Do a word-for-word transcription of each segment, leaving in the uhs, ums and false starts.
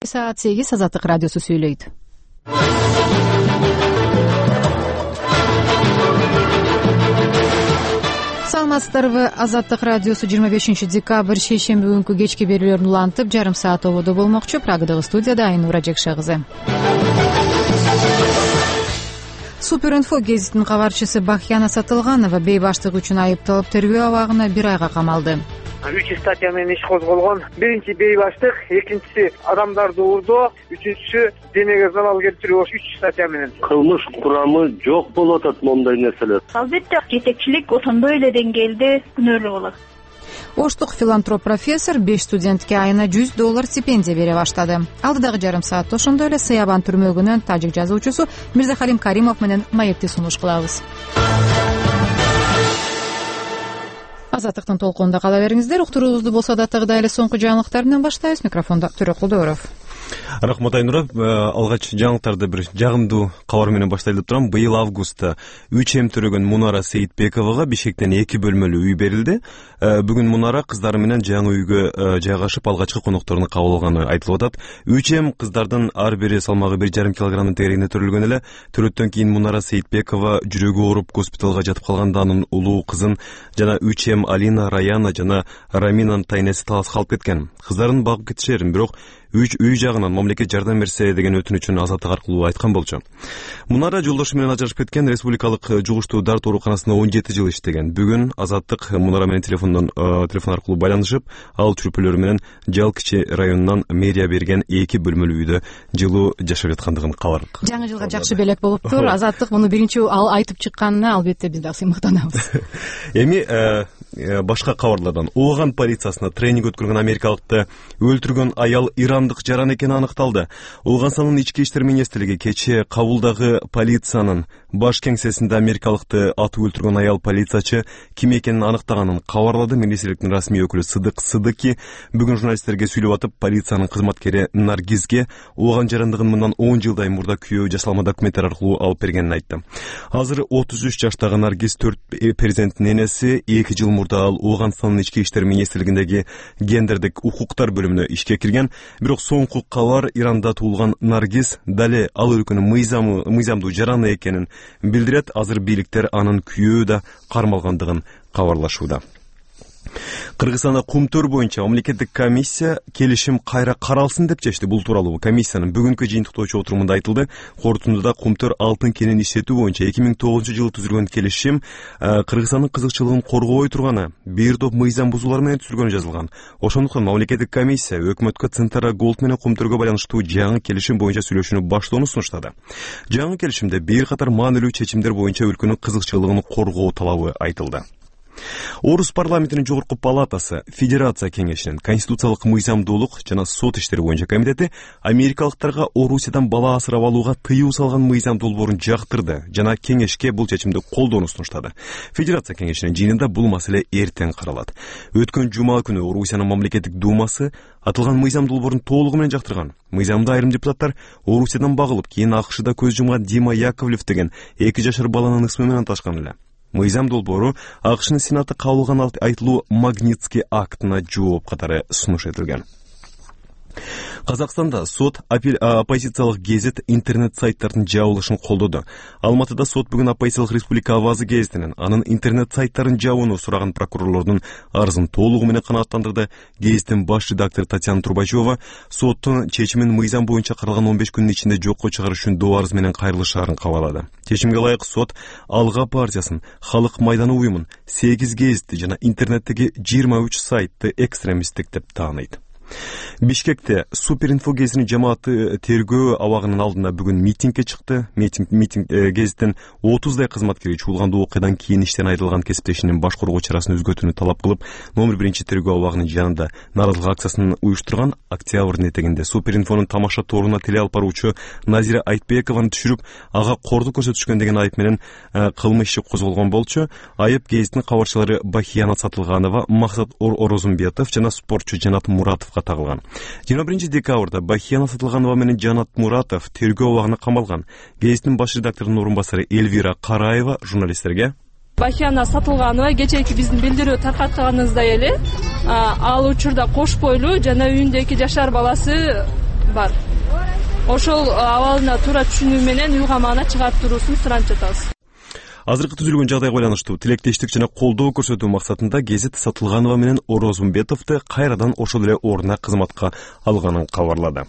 саат сегиз Азаттык радиосу сүйлөйт. Саламатсыздарбы? Азаттык радиосу жыйырма бешинчи декабрь шейшемби күнкү кечки берүүлөрүн улантып, жарым саат ободо болмокчу. Прагадагы студияда Айнура Жекше кызы. Суперинфо гезитинин кабарчысы Бахияна Сатылганова бейбаштык үчүн айыпталып, тергөө абагына бир айга камалды. үч статья менен иш козголгон. Биринчи бейбаштык, экинчиси адамдарды уурдоо, үчүнчүсү денеге залал келтирүү болуш үч статья менен. Кылмыш курамы жок болуп атат мондай нерселер. Албетте жетекчилик ошондой эле деңгээлде күнөөлүү болот. Оштук филантроп профессор беш студентке айына жүз доллар стипендия бере баштады. Алдыдагы жарым саатта ошондой эле Сыябан түрмөгүнөн тажик жазуучусу Мирзахалим Каримов менен маекти сунуш кылабыз. Азаттыктын толкунунда кала бериңиздер. Уктуруубузду болсо да тагыда эле соңку жаңылыктар менен баштайбыз. Микрофондо Төрөкулдөөров. Рахмат Айнура. Алгач жаңылыктарды бир жагымдуу кабар менен баштайлы деп турам. Быйыл августта үч эм төрөгөн Мунара Сейитбековага Бишкектен эки бөлмөлүү үй берилди. Бүгүн Мунара кыздары менен жаңы үйгө жайгашып алгачкы конокторуну кабыл алганы айтылып атат. үч эм кыздардын ар бири салмагы бир жарым килограммдын тегерегинде төрөлгөн эле. Төрөттөн кийин Мунара Сейитбекова жүрөгү ооруп госпиталга жатып калганда анын улуу кызын жана үч эм Алина, Раяна жана Раминанын тайнеси таласка алып кеткен. Кыздарын багып кетишерин, бирок үч үй жагынан мамлекет жардам берсе деген өтүнүчүн Азаттык аркылуу айткан болчу. Мунара жолдошу менен ажырашып кеткен, республикалык жугуштуу дарт ооруканасында он жети жыл иштеген. Бүгүн Азаттык Мунара менен телефондон телефон аркылуу байланышып, ал чүрпөлөр менен Жал кичи районунан мэрия берген эки бөлмөлүү үйдө жылуу жашап жаткандыгын кабардык. Жаңы жылга жакшы белек болуптур. Азаттык муну биринчи ал айтып чыкканына албетте биз дагы сыймыктанабыз. Эми башка кабарлардан Ооган полициясына тренинг өткөргөн америкалыкты өлтүргөн аял ирандык жаран экени аныкталды. Оогансанын ички иштер министрлиги кечээ Кабулдагы полициянын баш кеңсесинде америкалыкты атып өлтүргөн аял полициячы ким экенин аныктаганын кабарлады. Министрликтин расмий өкүлү Сыдык Сыдыки бүгүн журналисттерге сүйлөп атып, полициянын кызматкери Наргизге Ооган жарандыгын мындан он жылдай мурда күйөө жасалма документтер аркылуу алып бергенин айтты. Азыр отуз үч жаштагы Наргиз төрт перзенттин энеси. эки жыл мурда ал Оогандын ички иштер министрлигиндеги гендердик укуктар бөлүмүнө ишке кирген. Бирок соңку кабар Иранда туулган Наргиз дале ал өлкөнүн мыйзамы мыйзамдуу жараны экенин билдирет. Азыр бийликтер анын күйөө да кармалгандыгын кабарлашууда. Кыргызстанда кумтөр боюнча мамлекеттик комиссия келишим кайра каралсын деп чечти. Бул тууралуу комиссиянын бүгүнкү жыйынтыктоочу отурумунда айтылды. Корутундуда кумтөр алтын кенин иштетүү боюнча эки миң тогузунчу жылы түзүлгөн келишим Кыргызстандын кызыкчылыгын коргобой турганы, бир топ мыйзам бузуулар менен түзүлгөнү жазылган. Ошондуктан мамлекеттик комиссия өкмөткө Центара Голд менен кумтөргө байланыштуу жаңы келишим боюнча сүйлөшүүнү баштоону сунуштады. Жаңы келишимде бир катар маанилүү чечимдер боюнча өлкөнүн кызыкчылыгын коргоо талабы айтылды. Орус парламентинин жогорку палатасы, Федерация кеңешинин конституциялык мыйзамдуулук жана сот иштери боюнча комитети америкалыктарга Орусиядан бала асырап алууга тыюу салган мыйзам долбоорун жактырды жана кеңешке бул чечимди колдоону сунуштады. Федерация кеңешинин жыйынында бул маселе эртең каралат. Өткөн жума күнү Орусиянын мамлекеттик думасы атылган мыйзам долбоорун толугу менен жактырган. Мыйзамда айрым депутаттар Орусиядан багылып, кийин АКШда көз жумган Дима Яковлев деген эки жашар баланын ысмы менен аташкан эле. Мыйзам долбоору АКШнын Сенаты кабыл алган айтылуу Магнитский актына жооп катары сунуш этилген. Казакстанда сот оппозициялык гезит интернет сайттардын жабылышын колдоду. Алматыда сот бүгүн оппозициялык Республика Авазы гезитинин анын интернет сайттарын жабууну сураган прокурорлордун арызын толугу менен канааттандырды. Гезиттин баш редактору Татьяна Трубачева соттун чечимин мыйзам боюнча каралган он беш күндүн ичинде жокко чыгарыш үчүн доо арыз менен кайрылышаарын кабарлады. Чечимге ылайык сот Алга партиясын, Халык майданы уюмун, сегиз гезитти жана интернеттеги жыйырма үч сайтты экстремисттик деп тааныйт. Бишкекте Суперинфо гезитинин жамааты тергөө абагынын алдында бүгүн митингге чыкты. Митинг митинг гезиттин отуздай кызматкери чуулгандуу окуядан кийин иштен айрылган кесиптешинин баш коргоо чарасын өзгөртүүнү талап кылып, номер биринчи тергөө абагынын жанында нааразылык акциясын уюштурган. Октябрдын этегинде Суперинфонун тамаша торуна теле алып баруучу Назира Айтбекованы түшүрүп, ага кордук көрсөтүшкөн деген айып менен кылмыш иши козголгон болчу. Айып гезиттин кабарчылары Бахияна Сатылганова, Максат Орозумбетов жана спортчу Жанат Муратовго тагылган. жыйырма биринчи декабрда Бахияна Сатылганова менен Жанат Муратов тергөө абагына камалган. Гезиттин баш редакторунун орун басары Эльвира Караева журналисттерге: Бахияна Сатылганова кечээки биздин билдирүү таркатканыбыздай эле ал учурда кош бойлуу жана үйүндө эки жашар баласы бар. Ошол абалына туура түшүнүү менен үй камагына чыгарып туруусун суранып жатабыз. Азыркы түзүлгөн жагдайга байланыштуу тилектештик жана колдоо көрсөтүү максатында Гезит Сатылганова менен Орозумбетовду кайрадан ошол эле ордуна кызматка алганын кабарлады.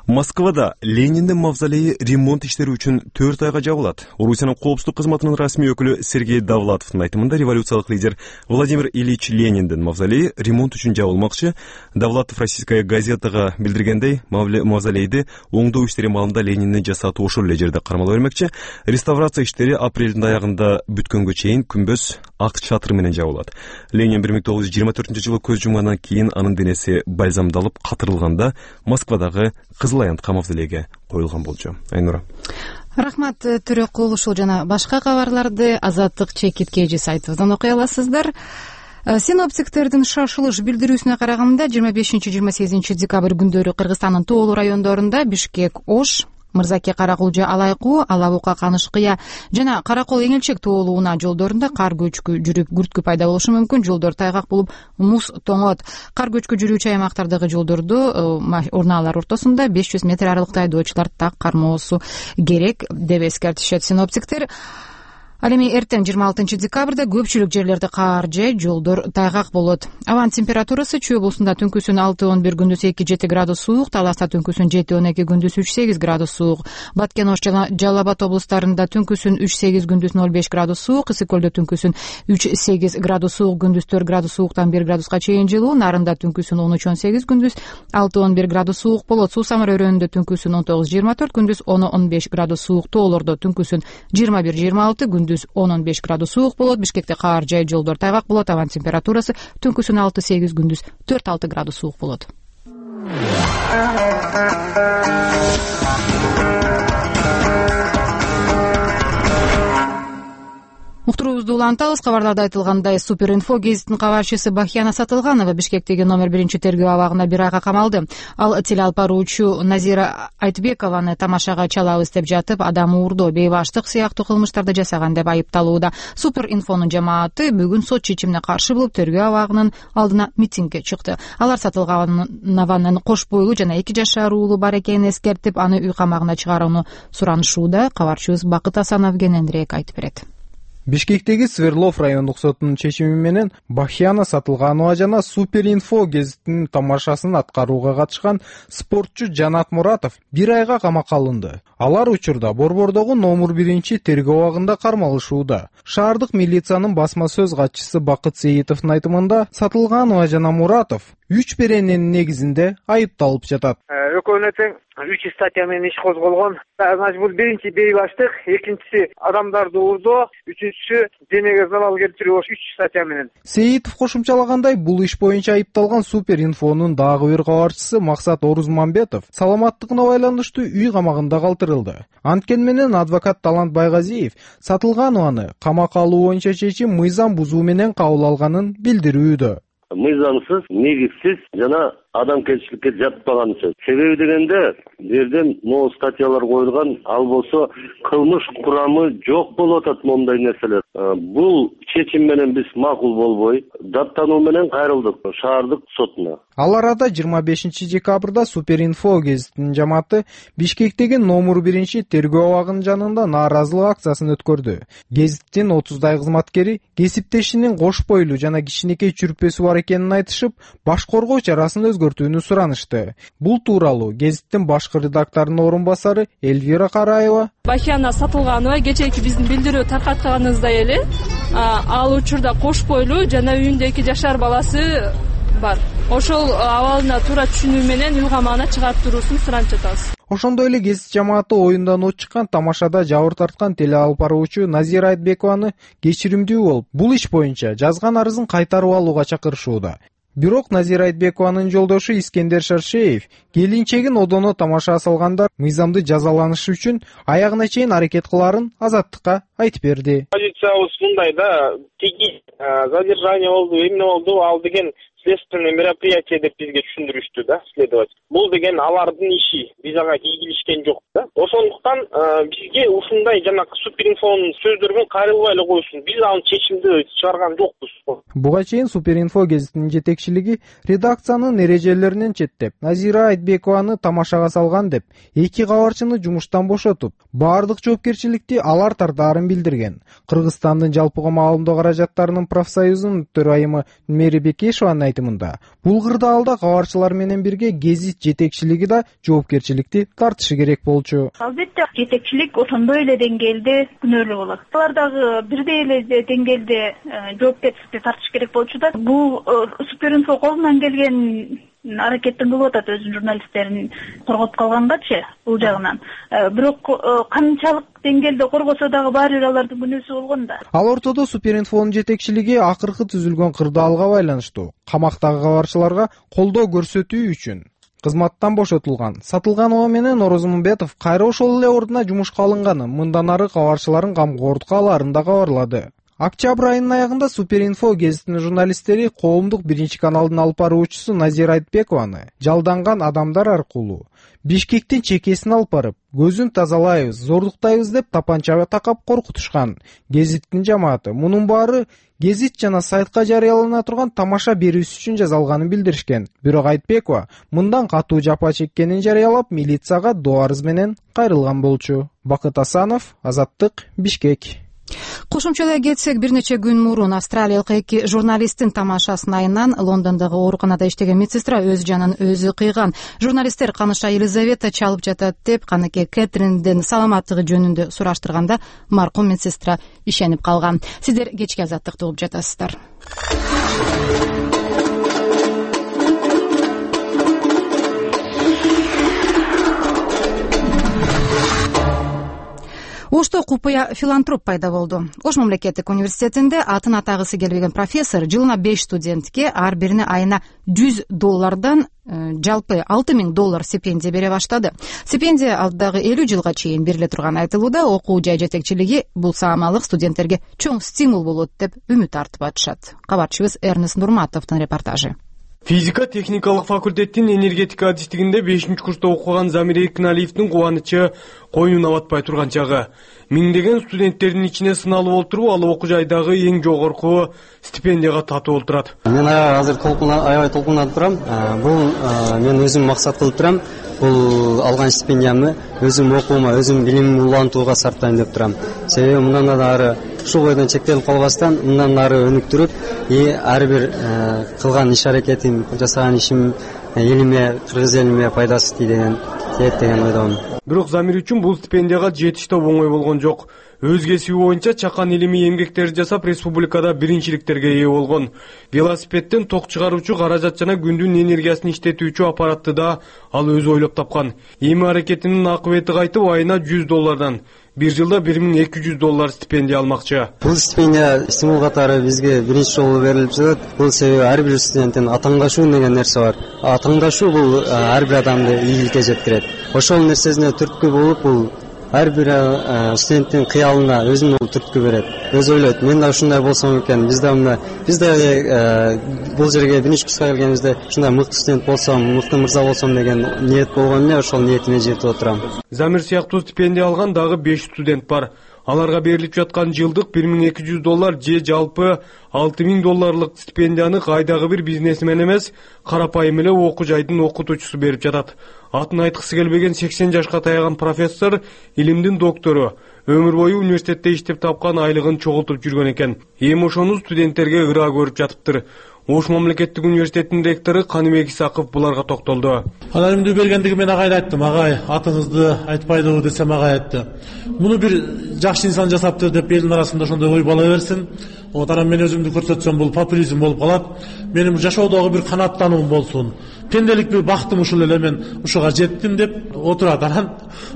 Москвада Лениндин мавзолейи ремонт иштери үчүн төрт айга жабылат. Орусиянын коопсуздук кызматынын расмий өкүлү Сергей Довлатовдун айтымында революциялык лидер Владимир Ильич Лениндин мавзолейи ремонт үчүн жабылмакчы. Довлатов Российская газетага билдиргендей, мавзолейди оңдоо иштери маалында Лениндин жасатуу ошол эле жерде кармала бермекчи. Реставрация иштери апрелдин аягында бүткөнгө чейин күмбөз ак чатыр менен жабылат. Ленин бир миң тогуз жүз жыйырма төртүнчү жылы көз жумгандан кийин анын денеси бальзамдалып катырылганда Москвадагы Кызыл Аянтка мавзолейге коюлган болчу. Айнура. Рахмат Төрөкул, ушул жана башка кабарларды Азаттык чекит кежи сайтыбыздан окуй аласыздар. Синоптиктердин шашылыш билдирүүсүнө караганда жыйырма бешинчи жыйырма сегизинчи декабрь күндөрү Кыргызстандын тоолуу райондорунда Бишкек, Ош, Мырзаке, Каракулжа, Алайкуу, Алабука, Канышкыя жана Каракол, Эңилчек тоолууна жолдорунда кар көчкү жүрүп, күрткү пайда болушу мүмкүн. Жолдор тайгак болуп, муз тоңот. Кар көчкү жүрүүчү аймактардагы жолдорду урнаалар ортосунда беш жүз метр аралыкта айдоочулар так кармоосу керек деп эскертишет синоптиктер. Ал эми эртең жыйырма алтынчы декабрда көпчүлүк жерлерде кар же жолдор тайгак болот. Абанын температурасы Чүй облусунда түнкүсүн алты он бир, күндүз эки жети градус суук, Таласта түнкүсүн жети он эки, күндүз үч сегиз градус суук, Баткен, Ош жана Жалал Абад облустарында түнкүсүн үч сегиз, күндүз ноль беш градус суук, Ысык көлдө түнкүсүн үч сегиз градус суук, күндүз төрт градус сууктан бир градуска чейин жылуу, Нарында түнкүсүн он үч он сегиз, күндүз алты он бир градус суук болот. Суу Самар өрөөнүндө түнкүсүн он тогуз жыйырма төрт, күндүз он он беш градус суук, тоолордо түнкүсүн жыйырма бир жыйырма алты, күндүз он он беш градус суук болот. Бишкекте кар жай, жолдор тайгак болот. Абанын температурасы түнкүсүн алты сегиз, күндүз төрт алты градус суук болот. Уктуруубузду улантабыз. Кабарларда айтылгандай, Суперинфо гезитинин кабарчысы Бахияна Сатылганова Бишкектеги номер биринчи тергөө абагына бир айга камалды. Ал телеалпаруучу Назира Айтбекованы тамашага чалабыз деп жатып, адам уурдоо, бейбаштык сыяктуу кылмыштарды жасаган деп айыпталууда. Суперинфонун жамааты бүгүн сот чечимине каршы болуп, тергөө абагынын алдына митингге чыкты. Алар Сатылганованын кош бойлуу жана эки жашар уулу бар экенин эскертип, аны үй камагына чыгарууну суранышууда. Кабарчыбыз Бакыт Асанов кененирээк айтып берет. Бишкектеги Сверлов райондук сотунун чечими менен Бахияна Сатылганова жана Суперинфо гезитинин тамашасын аткарууга катышкан спортчу Жанат Муратов бир айга камакка алынды. Алар учурда Борбордогу номер биринчи тергөө абагында кармалышууда. Шаардык милициянын басма сөз катчысы Бакыт Сейитовдун айтымында, Сатылганова жана Муратов үч берененин негизинде айыпталып жатат. Экөөнө тең үч статья менен иш козголгон. Значит, бул биринчи бейбаштык, экинчиси адамдарды уурдоо, үчүнчүсү денеге залал келтирүү, үч статья менен. Сейитов кошумчалагандай, бул иш боюнча айыпталган Суперинфонун дагы бир кабарчысы Максат Орузмамбетов саламаттыгына байланыштуу үй камагында калтырылды. Анткени менен адвокат Талант Байгазиев Сатылганованы камакка алуу боюнча чечим мыйзам бузуу менен кабыл алганын билдирүүдө. Мыйзамсыз, негизсиз жана адамгерчиликке жатпаган сөз. Себеби дегенде, жерден могу статьялар коюлган, ал болсо кылмыш курамы жок болуп атат моундай нерселер. Бул чечим менен биз макул болбой, даттануу менен кайрылдык шаардык сотуна. Ал арада жыйырма бешинчи декабрда Суперинфо гезитинин жамааты Бишкектеги номер биринчи тергөө абагынын жанында нааразылык акциясын өткөрдү. Гезиттин отуздай кызматкери кесиптешинин кош бойлуу жана кичинекей чүрпөсү бар экенин айтышып, баш коргоо чарасын өзгөртүүнү суранышты. Бул тууралуу гезиттин башкы редакторунун орун басары Эльвира Караева Бахияна Сатылганова кечээки биздин билдирүү таркатканыбыздай эле, ал учурда кош бойлуу жана үйүндө эки жашар баласы бар. Ошол абалына туура түшүнүү менен үй камагына чыгарып туруусун суранып жатабыз. Ошондой эле гезит жамааты оюндан от чыккан тамашада жабыр тарткан телеалпаруучу Назира Айтбекованы кечиримдүү болуп, бул иш боюнча жазган арызын кайтарып алууга чакырышууда. Бирок Назира Айтбекованын жолдошу Искендер Шаршеев келинчегин одоно тамаша салгандар мыйзамды жазаланышы үчүн аягына чейин аракет кыларын Азаттыкка айтып берди. Позициябыз мындай да, тиги задержание болду, эмне болду, ал деген следственный мероприятие деп бизге түшүндүрүштү да. исследовать. Бул деген алардын иши, биз ага кийлишкен жок да. Ошондуктан бизге ушундай жанагы Суперинфонун сөздөрүн кайрылбай эле койсун. Биз аны чечимди чыгарган жокпуз. Буга чейин Суперинфо гезитинин жетекчилиги редакциянын эрежелеринен четтеп, Назира Айтбекованы тамашага салган деп, эки кабарчыны жумуштан бошотуп, баардык жоопкерчиликти алар тартаарын билдирген. Кыргызстандын жалпыга маалымдоо каражаттарынын профсоюзунун төрайымы Мэри Бекешеванын айтымында, бул кырдаалда кабарчылар менен бирге гезит жетекчилиги да жоопкерчиликти тартышы керек болчу. Албетте жетекчилик ошондой эле деңгээлде күнөөлүү болот. Алар дагы бирдей эле деңгээлде жоопкерчиликти тартыш керек болчу да. Бул Суперинфо колунан келген аракеттин кылып атат өзүнүн журналисттерин коргоп калгангачы бул жагынан. Бирок канчалык деңгээлде коргосо дагы баары бир алардын күнөөсү болгон да. Ал ортодо Суперинфонун жетекчилиги акыркы түзүлгөн кырдаалга байланыштуу камактагы кабарчыларга колдоо көрсөтүү үчүн кызматтан бошотулган Сатылганова менен Орозмунбетов кайра ошол эле ордуна жумушка алынганын, мындан ары кабарчыларын камкордукка алаарын да кабарлады. Октябрь айынын аягында Суперинфо гезитинин журналисттери коомдук биринчи каналдын алып баруучусу Назира Айтбекованы жалданган адамдар аркылуу Бишкектин чекесин алып барып, көзүн тазалайбыз, зордуктайбыз деп тапанчага такап коркутушкан. Гезиттин жамааты мунун баары гезит жана сайтка жарыялана турган тамаша берүүсү үчүн жазалганын билдиришкен. Бирок Айтбекова мындан катуу жапа чеккенин жарыялап, милицияга доо арыз менен кайрылган болчу. Бакыт Асанов, Азаттык, Бишкек. Кошумчалай кетсек, бир нече күн мурун австралиялык эки журналисттин тамашасын айынан Лондондогу ооруканада иштеген медсестра өз жанын өзү кыйган. Журналисттер каныша Елизавета чалып жатат деп каныке Кэтриндин саламаттыгы жөнүндө сураштырганда маркум медсестра ишенип калган. Сиздер кечки Азаттыкты угуп жатасыздар. Ошто купуя филантроп пайда болду. Ош мамлекеттик университетинде атын атагысы келбеген профессор жылына беш студентке ар бирине айына жүз доллардан жалпы алты миң доллар стипендия бере баштады. Стипендия алдыдагы элүү жылга чейин бериле турганы айтылууда. Окуу жай жетекчилиги бул саамалык студенттерге чоң стимул болот деп үмүт артып атышат. Кабарчыбыз Эрнест Нурматовдун репортажы. Физика техникалык факультеттин энергетика адистигинде бешинчи курста окуган Замир Эркиналиевдин кубанычы койнуна батпай турган чагы. Миңдеген студенттердин ичине сыналып отуруп, ал окуу жайдагы эң жогорку стипендияга татуу болуп турат. Мен азыр аябай толкунуп турам. Бул мен өзүм максат кылып турам. Бул алган стипендиямды өзүм окуума, өзүм билимимди улантууга сарптайм деп турам. Себеби мындан ары ушул бойдон чектелип калбастан, мындан ары өнүктүрүп, и ар бир кылган иш аракетим, жасаган ишим элиме, кыргыз элиме пайдасы тийген тиет деген ойдомун. Бирок Замир үчүн бул стипендияга жетиш да оңой болгон жок. Өз кесиби боюнча чакан илимий эмгектерди жасап, республикада биринчиликтерге ээ болгон. Велосипедден ток чыгаруучу каражат жана күндүн энергиясын иштетүүчү аппаратты да ал өзү ойлоп тапкан. Эми аракетинин акыбети кайтып, айына жүз доллардан бир жылда бир миң эки жүз доллар стипендия алмакчы. Бул стипендия стимул катары бизге биринчи жолу берилип жатат. Бул себеби ар бир студенттин атаңдашуу деген нерсе бар. Атаңдашуу бул ар бир адамды ийгиликке жеткирет. Ошол нерсесине түрткү болуп, бул ар бир студенттин кыялына өзүнүн түрткү берет. Өзү ойлойт, мен да ушундай болсом экен, биз да мында биз да бул жерге биринчи курска келгенибизде ушундай мыкты студент болсом, мыкты мырза болсом деген ниет болгон эле, ошол ниетиме жетип отурам. Замир сыяктуу стипендия алган дагы беш студент бар. Аларга берилип жаткан жылдык бир миң эки жүз доллар же жалпы алты миң долларлык стипендияны кайдагы бир бизнесмен эмес, карапайым эле окуу жайдын окутуучусу берип жатат. Атын айткысы келбеген сексен жашка таяган профессор, илимдин доктору, өмүр бою университетте иштеп тапкан айлыгын чогултуп жүргөн экен. Эми ошону студенттерге ыраа көрүп жатыптыр. Ош мамлекеттик университетинин ректору Каныбек Исаков буларга токтолду. Аналимди бергендиги мен агайга айттым, агай, атыңызды айтпайдыбы десем агай айтты. Муну бир жакшы инсан жасаптыр деп элдин арасында ошондой ой бала берсин. Вот анан мен өзүмдү көрсөтсөм бул популизм болуп калат. Менин жашоодогу бир канааттануум болсун. Пенделик бир бактым ушул эле мен ушуга жеттим деп отурат. Анан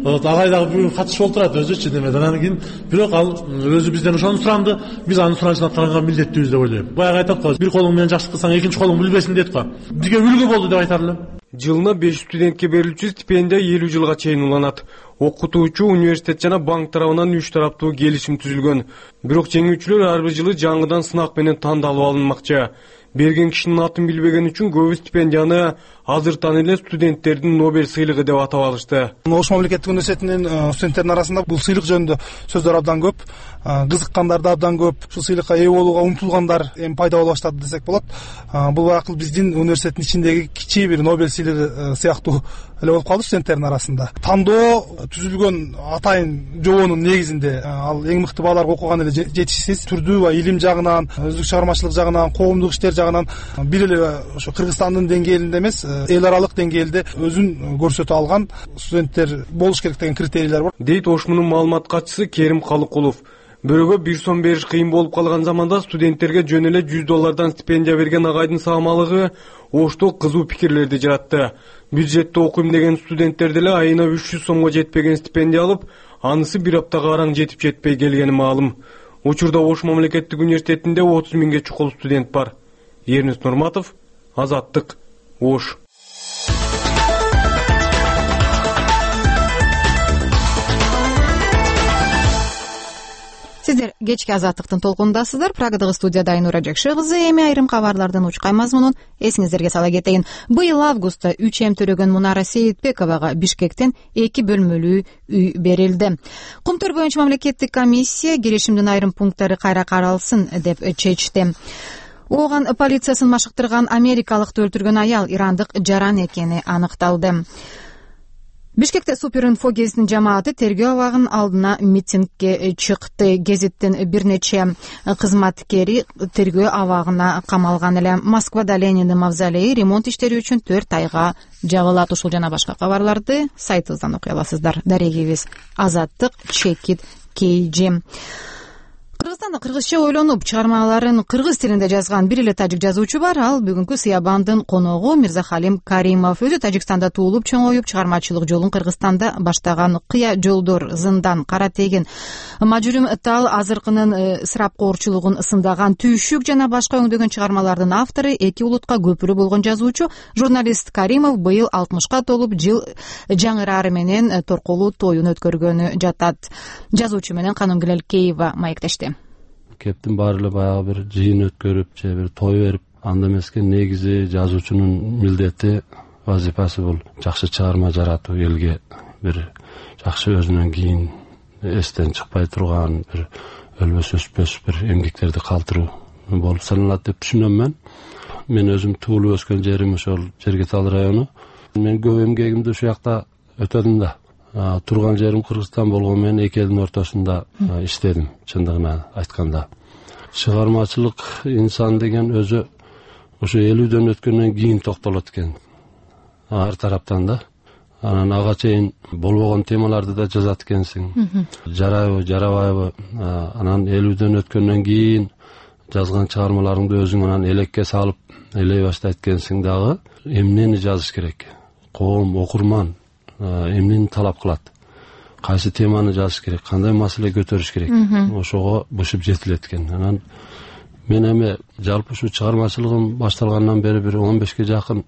агай дагы бүгүн катышып отурат өзүчү деме. Анан кийин бирок ал өзү бизден ошону суранды. Биз анын суранышына караганга милдеттүүбүз деп ойлойм. Баягы айтат го, бир колуң менен жакшы кылсаң экинчи колуң билбесин дейт го. Бизге үлгү болду деп айтар элем. Жылына беш студентке берилүүчү стипендия элүү жылга чейин уланат. Окутуучу, университет жана банк тарабынан үч тараптуу келишим түзүлгөн. Бирок жеңүүчүлөр ар бир жылы жаңыдан сынак менен тандалып алынмакчы. берген кишинин атын билбеген үчүн көбү стипендияны азыртан эле студенттердин Нобель сыйлыгы деп атап алышты. Ош мамлекеттик университетинин студенттеринин арасында бул сыйлык жөнүндө сөздөр абдан көп, кызыккандар да абдан көп. Ушул сыйлыкка ээ болууга умтулгандар эми пайда боло баштады десек болот. Бул акыл биздин университеттин ичиндеги кичи бир Нобель сыйлыгы сыяктуу эле болуп калды студенттердин арасында. Тандоо түзүлгөн атайын жобонун негизинде ал эң мыкты бааларга окуган эле жетишсиз түрдүү баягы илим жагынан, өздүк чыгармачылык жагынан, коомдук иштер жагынан бир эле ошо Кыргызстандын деңгээлинде эмес, эл аралык деңгээлде өзүн көрсөтө алган студенттер болуш керек деген критерийлер бар, дейт Ошмунун маалымат катчысы Керим Калыкулов. Бирөөгө бир сом бериш кыйын болуп калган заманда студенттерге жөн эле жүз доллардан стипендия берген агайдын саамалыгы Ошто кызуу пикирлерди жаратты. Бюджетте окуйм деген студенттер деле айына үч жүз сомго жетпеген стипендия алып, анысы бир аптага араң жетип жетпей келгени маалым. Учурда Ош мамлекеттик университетинде отуз миңге чукул студент бар. Эрнис Нурматов, Азаттык, Ош. Сиздер кечки Азаттыктын толкунундасыздар. Прагадагы студияда Айнура Жакшы кызы. Эми айрым кабарлардын учкай мазмунун эсиңиздерге сала кетейин. Быйыл августта үч эм төрөгөн Мунара Сейитбековага Бишкектен эки бөлмөлүү үй берилди. Кумтөр боюнча мамлекеттик комиссия келишимдин айрым пункттары кайра каралсын деп чечти. Ооган полициясын машыктырган америкалыкты өлтүргөн аял ирандык жаран экени аныкталды. Бишкекте Суперинфо гезитинин жамааты тергөө абагын алдына митингге чыкты. Гезиттин бир нече кызматкери тергөө абагына камалган эле. Москвада Лениндин мавзолейи ремонт иштери үчүн төрт айга жабылат. Ушул жана башка кабарларды сайтыбыздан окуй аласыздар. Дарегибиз Азаттык чекит кейжи. Кыргызстанда кыргызча ойлонуп чыгармаларын кыргыз тилинде жазган бир эле тажик жазуучу бар. Ал бүгүнкү Сыябандын коногу Мирзахалим Каримов. Өзү Тажикстанда туулуп чоңоюп чыгармачылык жолун Кыргызстанда баштаган. Кыя жолдор, Зындан, Кара тегин, Мажүрүм тал азыркынын ысырапкорчулугун ысындаган Түйшүк жана башка өңдөгөн чыгармалардын автору, эки улутка көпүрө болгон жазуучу, журналист Каримов быйыл алтымышка толуп жыл жаңырары менен торкулуу тоюн өткөргөнү жатат. Жазуучу менен Канымгүл Элкеева маектешти. Кептин баары эле баягы бир жыйын өткөрүп же бир той берип, анда эмеске негизи жазуучунун милдети, вазифасы бул жакшы чыгарма жаратуу, элге бир жакшы өзүнөн кийин эстен чыкпай турган бир өлбөс өчпөс бир эмгектерди калтыруу болуп саналат деп түшүнөм мен. Мен өзүм туулуп өскөн жерим ошол Жергетал району. Мен көп эмгегимди ушул жакта өтөдүм да. Турган жерим Кыргызстан болгон менен эки элдин ортосунда иштедим, чындыгына айтканда. Чыгармачылык инсан деген өзү ошо элүүдөн өткөндөн кийин токтолот экен. Ар тараптан да. Анан ага чейин болбогон темаларды да жазат экенсиң. Жарайбы, жарабайбы, анан элүүдөн өткөндөн кийин жазган чыгармаларыңды өзүң анан элекке салып элей баштайт экенсиң дагы. Эмнени жазыш керек? Коом, окурман эмнени талап кылат, кайсы теманы жазыш керек, кандай маселе көтөрүш керек, ошого бышып жетилет экен. Анан мен эми жалпы ушу чыгармачылыгым башталгандан бери бир он бешке жакын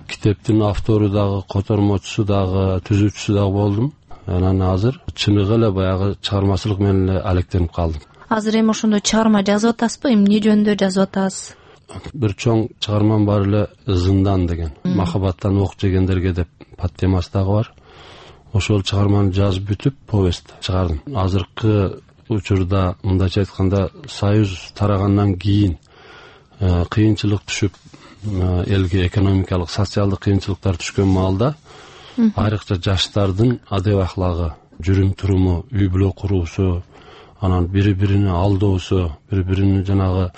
китептин автору дагы, котормочусу дагы, түзүүчүсү дагы болдум. Анан азыр чыныгы эле баягы чыгармачылык менен эле алектенип калдым. Азыр эми ошондо чыгарма жазып атасызбы? Эмне жөнүндө жазып атасыз? Бир чоң чыгармам бар эле, Зындан деген. Махабаттан ок жегендерге деп подтемасы дагы бар. Ошол чыгарманы жазып бүтүп, повест чыгардым. Азыркы учурда мындайча айтканда Союз тарагандан кийин кыйынчылык түшүп, элге экономикалык, социалдык кыйынчылыктар түшкөн маалда айрыкча жаштардын адеп ахлагы, жүрүм туруму, үй бүлө куруусу, анан бири-бирине алдоосу, бири-бирине жанагы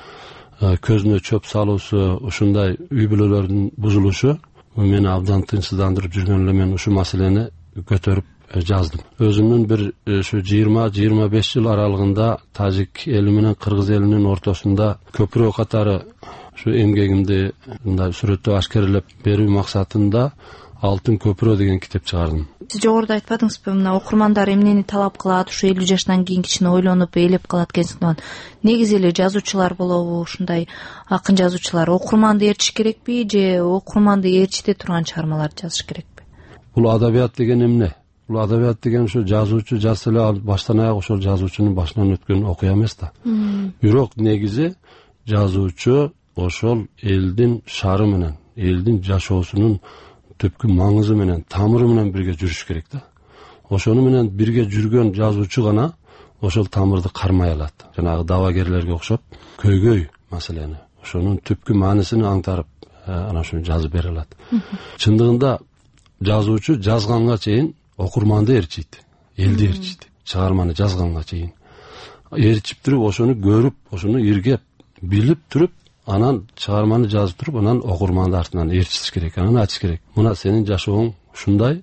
көзүнө чөп салуусу, ушундай үй бүлөлөрдүн бузулушу мени абдан тынчсыздандырып жүргөн эле мен ушу маселени көтөрүп жаздым. Өзүмдүн бир ушу жыйырма жыйырма беш жыл аралыгында тажик эли менен кыргыз элинин ортосунда көпүрө катары ушу эмгегимди мындай сүрөттөп ашкерелеп берүү максатында Алтын көпүрө деген китеп чыгардым. Сиз жогоруда айтпадыңызбы, мына окурмандар эмнени талап кылат, ушу элүү жаштан кийин кичине ойлонуп, ээлеп калат экенсиң. Негизи эле жазуучулар болобу, ушундай акын жазуучулар окурманды ээрчиш керекпи же окурманды ээрчите турган чыгармаларды жазыш керекпи? Бул адабият деген эмне? Бул адабият деген ушу жазуучу жазса эле баштан аяк ошол жазуучунун башынан өткөн окуя эмес да. Бирок негизи жазуучу ошол элдин шары менен, элдин жашоосунун түпкү маңызы менен, тамыры менен бирге жүрүш керек да. Ошону менен бирге жүргөн жазуучу гана ошол тамырды кармай алат. Жанагы давагерлерге окшоп көйгөй маселени, ошонун түпкү маанисин аңтарып, анан ошону жазып бере алат. Чындыгында жазуучу жазганга чейин окурманды ээрчийт, элди ээрчийт. Чыгарманы жазганга чейин ээрчип туруп, ошону көрүп, ошону иргеп, билип туруп, анан чыгарманы жазып туруп, анан окурманды артынан ээрчитиш керек, анан айтыш керек. Мына сенин жашооң ушундай,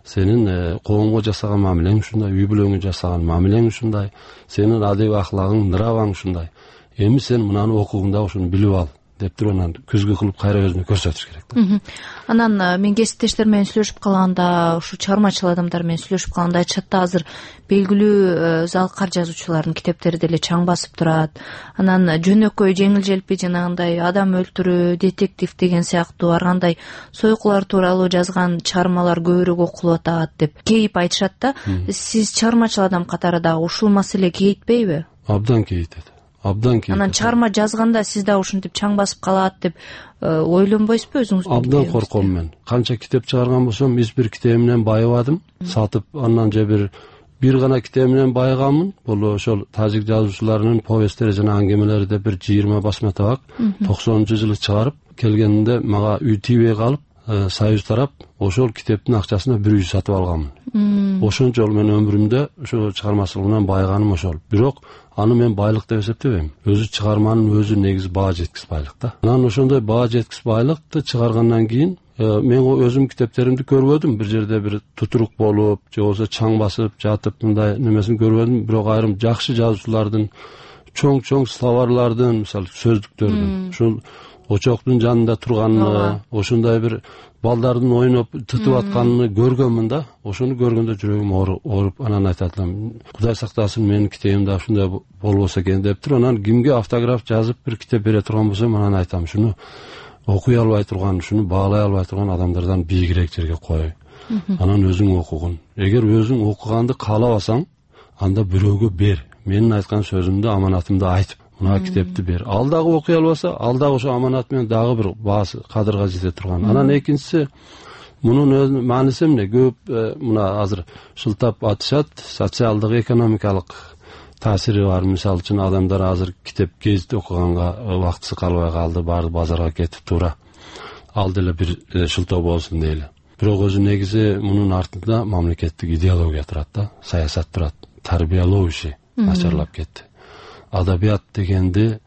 сенин коомго жасаган мамилең ушундай, үй бүлөңө жасаган мамилең ушундай, сенин адеби ахлагың, нраваң ушундай. Эми сен мынаны окугуңда ошону билип ал деп туруп, анан көзгө кылып кайра өзүнө көрсөтүш керек да. Анан мен кесиптештер менен сүйлөшүп калганда, ушу чыгармачыл адамдар менен сүйлөшүп калганда айтышат да, азыр белгилүү залкар жазуучулардын китептери деле чаң басып турат. Анан жөнөкөй, жеңил желпи жанагындай адам өлтүрүү, детектив деген сыяктуу ар кандай сойкулар тууралуу жазган чыгармалар көбүрөөк окулуп атат деп кейип айтышат да. Сиз чыгармачыл адам катары дагы ушул маселе кейитпейби? Абдан кейитет. Абдан кейитет. Анан чыгарма жазганда сиз да ушинтип чаң басып калат деп ойлонбойсузбу өзүңүз? Абдан корком мен. Канча китеп чыгарган болсом, эч бир китебимден байыбадым. Сатып, андан же бир бир гана китебимден байыганмын. Бул ошол тажик жазуучуларынын повесттери жана аңгемелери деп бир жыйырма басма табак токсонунчу жылы чыгарып келгенинде мага үй тийбей калып, Союз тарап ошол китептин акчасына бир үй сатып алганмын. Ошончо мен өмүрүмдө ошо чыгармачылык менен байыганым ошол. Бирок аны мен байлык деп эсептебейм. Өзү чыгарманын өзү негизи баа жеткис байлык да. Анан ошондой баа жеткис байлыкты чыгаргандан кийин мен өзүм китептеримди көрбөдүм. Бир жерде бир тутурук болуп, же болбосо чаң басып жатып мындай немесин көрбөдүм. Бирок айрым жакшы жазуучулардын, чоң-чоң словарлардын, мисалы сөздүктөрдүн, ушул очоктун жанында турганын, ошондой бир балдардын ойноп тытып атканын көргөнмүн да. Ошону көргөндө жүрөгүм ооруп, анан айтат элем, Кудай сактасын менин китебимде ушундай болбосо экен деп туруп, анан кимге автограф жазып бир китеп бере турган болсом, анан айтам, шуну окуй албай турган, шуну баалай албай турган адамдардан бийигирээк жерге кой. Анан өзүң окугун. Эгер өзүң окуганды каалабасаң, анда бирөөгө бер. Менин айткан сөзүмдү, аманатымды айтып, мына китепти бер. Ал дагы окуй албаса, ал дагы ошо аманат менен дагы бир баасы, кадырга жете турган. Анан экинчиси, мунун мааниси эмне? Көп мына азыр шылтап атышат, социалдык, экономикалык таасири бар. Мисалы үчүн адамдар азыр китеп, гезит окуганга убактысы калбай калды, баары базарга кетип тура. Ал деле бир шылтоо болсун дейли. Бирок өзү негизи мунун артында мамлекеттик идеология турат да, саясат турат. Тарбиялоо иши начарлап кетти. Адабият дегенди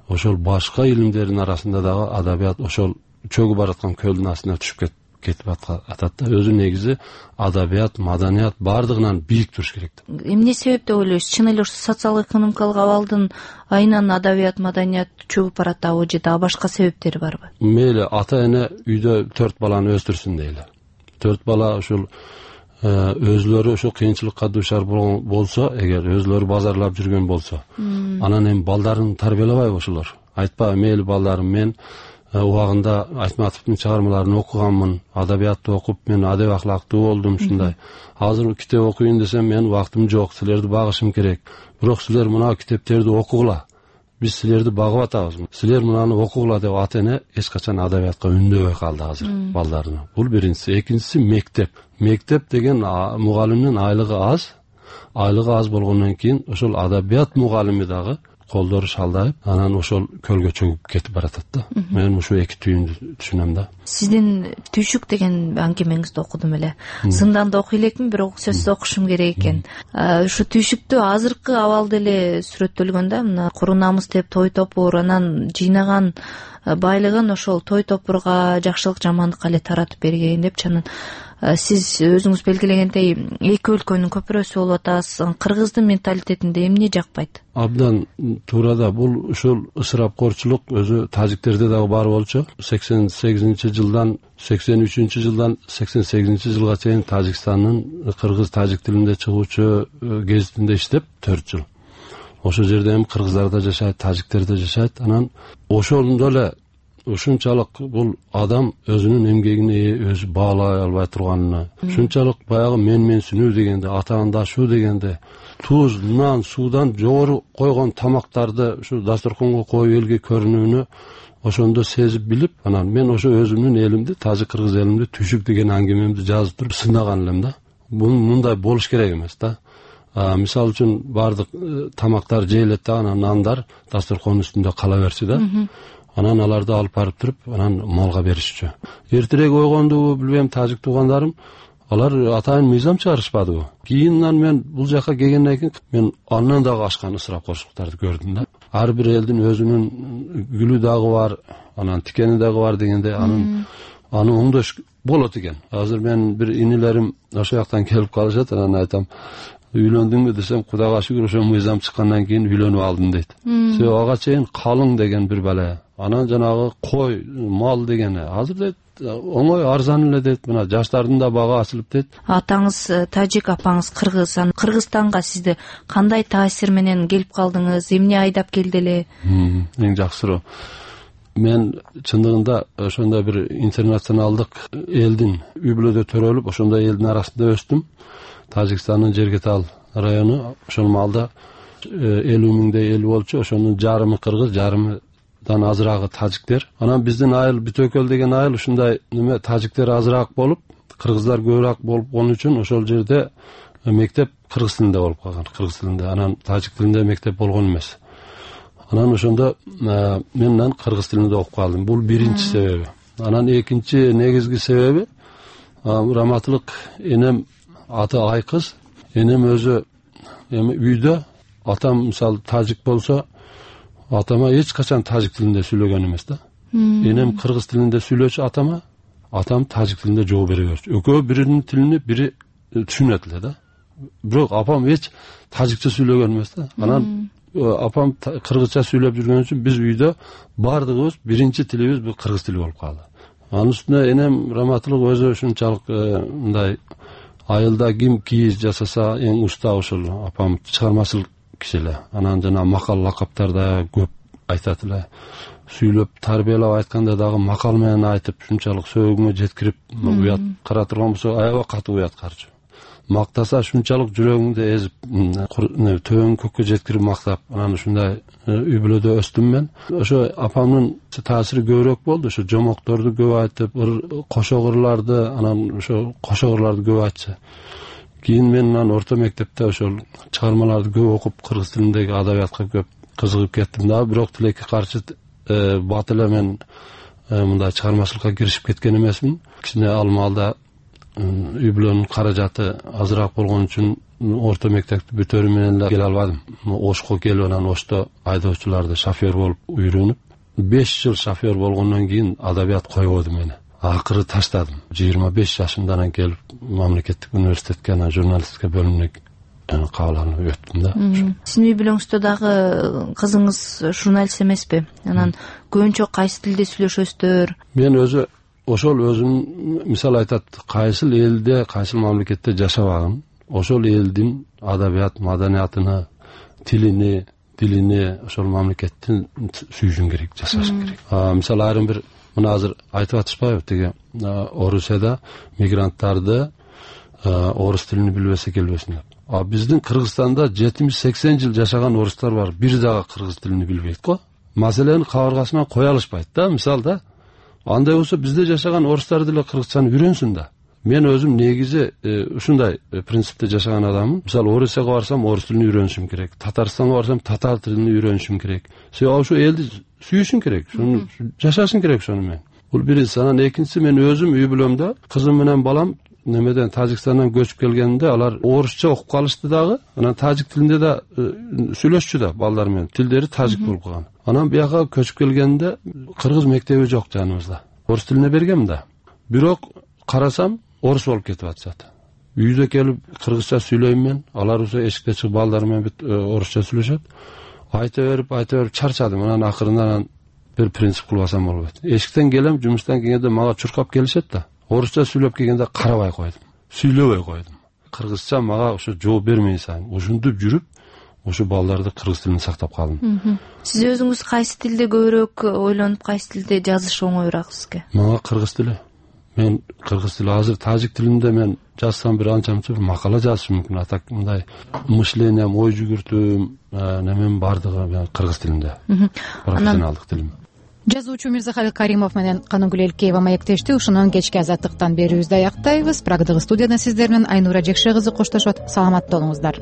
ошол башка илимдердин арасында дагы адабият ошол чөгүп бараткан көлдүн астына түшүп кетип атат да. Өзү негизи адабият, маданият баардыгынан бийик туруш керек. Эмне себеп деп ойлойсуз? Чын эле социалдык экономикалык абалдын айынан адабият, маданият чөгүп баратабы же дагы башка себептери барбы? Мейли ата эне үйдө төрт баланы өстүрсүн дейли. Төрт бала ушул өзлөрү ошо кыйынчылыкка дуушар болсо, эгер өзлөрү базарлап жүргөн болсо, анан эми балдарын тарбиялабайбы ошолор? Айтпа, мейли балдарым, мен убагында Айтматовдун чыгармаларын окуганмын, адабиятты окуп, мен адеп ахлактуу болдум, ушундай. Азыр китеп окуйын десем, мен убактым жок, силерди багышым керек. Бирок силер мына китептерди окугула. Биз силерди багып атабыз. Силер мынаны окугула деп ата эне эч качан адабиятка үндөбөй калды азыр балдарына. Бул биринчиси. Экинчиси мектеп. Мектеп деген мугалимдин айлыгы аз. Айлыгы аз болгондон кийин ошол адабият мугалими дагы колдору шалдайып, анан ошол көлгө чөгүп кетип баратат да. Мен ушу эки түйүндү түшүнөм да. Сиздин Түйшүк деген аңгемеңизди окудум эле. Зынданда окуй элекмин, бирок сөзсүз окушум керек экен. Ушу Түйшүктө азыркы абал деле сүрөттөлгөн да. Мына куру намыс деп той топур, анан жыйнаган байлыгын ошол той топурга, жакшылык жамандыкка эле таратып берген деп чанын. Сиз өзүңүз белгилегендей эки өлкөнүн көпүрөсү болуп атасыз. Кыргыздын менталитетинде эмне жакпайт? Абдан туура да, бул ушул ысырапкорчулук өзү тажиктерде дагы бар болчу. сексен сегизинчи жылдан сексен үчүнчү жылдан сексен сегизинчи жылга чейин Тажикстандын кыргыз тажик тилинде чыгуучу гезитинде иштеп төрт жыл. Ошол жерде эми кыргыздар да жашайт, тажиктер да жашайт. Анан ошондо эле ушунчалык бул адам өзүнүн эмгегине өзү баалай албай турганына, ушунчалык баягы менменсинүү дегенде, атаандашуу дегенде, туз, нан, суудан жогору койгон тамактарды ушу дасторконго коюп элге көрүнүүнү ошондо сезип билип, анан мен ошо өзүмдүн элимди, тажик кыргыз элимди түшүк деген аңгемемди жазып туруп сынаган элем да. Бул мындай болуш керек эмес да. Мисалы үчүн баардык тамактар жейилет да, анан нандар дасторконун үстүндө кала берчү да. Анан аларды алып барып туруп, анан малга беришчү. Эртерээк ойгондубу, билбейм, тажик туугандарым, алар атайын мыйзам чыгарышпадыбы. Кийинен мен бул жака келгенден кийин мен андан дагы ашкан ысырапкорчулуктарды көрдүм да. Ар бир элдин өзүнүн гүлү дагы бар, анан тикени дагы бар дегенде, анын аны оңдош болот экен. Азыр мен бир инилерим ошо жактан келип калышат, анан айтам, үйлөндүңбү десем, Кудайга шүгүр ошо мыйзам чыккандан кийин үйлөнүп алдым дейт. Себеби ага чейин калың деген бир бала, анан жанагы кой, мал дегени азыр дейт оңой арзан эле дейт, мына жаштардын да бага ачылып дейт. Атаңыз тажик, апаңыз кыргыз. Кыргызстанга сизди кандай таасир менен келип калдыңыз? Эмне айдап келди эле? Эң жакшыроо. Мен чындыгында ошондой бир интернационалдык элдин үй бүлөдө төрөлүп, ошондой элдин арасында өстүм. Тажикстандын Жергетал району, ошол маалда элүү миңдей эл болчу, ошонун жарымы кыргыз, жарымыдан азырагы тажиктер. Анан биздин айыл Бүтөкөл деген айыл ушундай неме тажиктер азыраак болуп, кыргыздар көбүрөөк болуп калган үчүн ошол жерде мектеп кыргыз тилинде болуп калган, кыргыз тилинде. Анан тажик тилинде мектеп болгон эмес. Анан ошондо мен менен кыргыз тилинде окуп калдым. Бул биринчи себеби. Анан экинчи негизги себеби, раматылык энем аты Айкыз, энем өзү эми үйдө, атам мисалы тажик болсо, атама эч качан тажик тилинде сүйлөгөн эмес да. Энем кыргыз тилинде сүйлөчү атама, атам тажик тилинде жооп бере берчү. Экөө биринин тилини бири түшүнөт эле да. Бирок апам эч тажикча сүйлөгөн эмес да. Анан апам кыргызча сүйлөп жүргөн үчүн биз үйдө бардыгыбыз биринчи тилибиз бул кыргыз тили болуп калды. Анын үстүнө энем раматылык өзү ушунчалык мындай айылда ким кийиз жасаса эң уста ошол апам чыгармачыл киши эле. Анан жана макал лакаптарда көп айтат эле. Сүйлөп тарбиялап айтканда дагы макал менен айтып, ушунчалык сөөгүңө жеткирип, уят кара турган болсо аябай катуу уят карчу. Мактаса ушунчалык жүрөгүңдү эзип, төбөң көккө жеткирип мактап, анан ушундай үй бүлөдө өстүм мен. Ошо апамдын таасири көбүрөөк болду. Ошо жомокторду көп айтып, кошогурларды, анан ошо кошогурларды көп айтчы. Кийин мен анан орто мектепте ошол чыгармаларды көп окуп, кыргыз тилиндеги адабиятка көп кызыгып кеттим да. Бирок тилекке каршы бат эле мен мындай чыгармачылыкка киришип кеткен эмесмин. Кичине ал маалда үй бүлөнүн каражаты азыраак болгон үчүн орто мектепти бүтөрү менен эле келе албадым. Ошко келип, анан Ошто айдоочуларды шофер болуп үйрөнүп, беш жыл шофер болгондон кийин адабият койбоду мени. Акыры таштадым. жыйырма беш жашымда анан келип мамлекеттик университетке, анан журналистика бөлүмүнө кабыл алынып өттүм да. Сиздин үй бүлөңүздө дагы кызыңыз журналист эмеспи? Анан көбүнчө кайсы тилде сүйлөшөсүздөр? Мен өзү ошол өзүм мисал айтат, кайсыл элде, кайсыл мамлекетте жашабагын, ошол элдин адабият, маданиятыны, тилини, дилини ошол мамлекеттин сүйүшүң керек, жашашың керек. Мисалы айрым бир мына азыр айтып атышпайбы, тиги Орусияда мигранттарды орус тилини билбесе келбесин деп. А биздин Кыргызстанда жетимиш сексен жыл жашаган орустар бар, бир дагы кыргыз тилини билбейт го. Маселени кабыргасынан кое алышпайт да, мисалы да. Андай болсо бизде жашаган орустар деле кыргызчаны үйрөнсүн да. Мен өзүм негизи ушундай принципте жашаган адаммын. Мисалы Орусияга барсам орус тилин үйрөнүшүм керек, Татарстанга барсам татар тилин үйрөнүшүм керек. Себеби ошо элди сүйүшүң керек, шуну жашашың керек ошону мен. Бул биринчиси. Анан экинчиси, мен өзүм үй бүлөмдө кызым менен балам немеден Тажикстандан көчүп келгенде алар орусча окуп калышты дагы, анан тажик тилинде да сүйлөшчү да балдар менен. Тилдери тажик болуп калган. Анан бияка көчүп келгенде кыргыз мектеби жок жаныбызда. Орус тилине бергем да. Бирок карасам орус болуп кетип атышат. Үйдө келип кыргызча сүйлөйм мен, алар уже эшикте чыгып балдар менен орусча сүйлөшөт. Айта берип, айта берип чарчадым. Анан акырында анан бир принцип кылбасам болбойт. Эшиктен келем, жумуштан келгенде мага чуркап келишет да. Орусча сүйлөп келгенде карабай койдум. Сүйлөбөй койдум. Кыргызча мага ошо жооп бермей сайын ушинтип жүрүп, ошо балдарды кыргыз тилин сактап калдым. Сиз өзүңүз кайсы тилде көбүрөөк ойлонуп, кайсы тилде жазыш оңоюраак сизге? Мага кыргыз тили. Мен кыргыз тили азыр тажик тилинде мен жазсам бир анча-мынча бир макала жазышым мүмкүн. Атак мындай мышлением, ой жүгүртүүм, немем бардыгы кыргыз тилинде. Профессионалдык тилим. жазуучу Мирзахалил Каримов менен Каныгүл Элкеева маектешти. Ушунун кечки азаттыктан берүүбүздү аяктайбыз. Прагдагы студиядан сиздер менен Айнура Жекше кызы коштошот. Саламатта болуңуздар.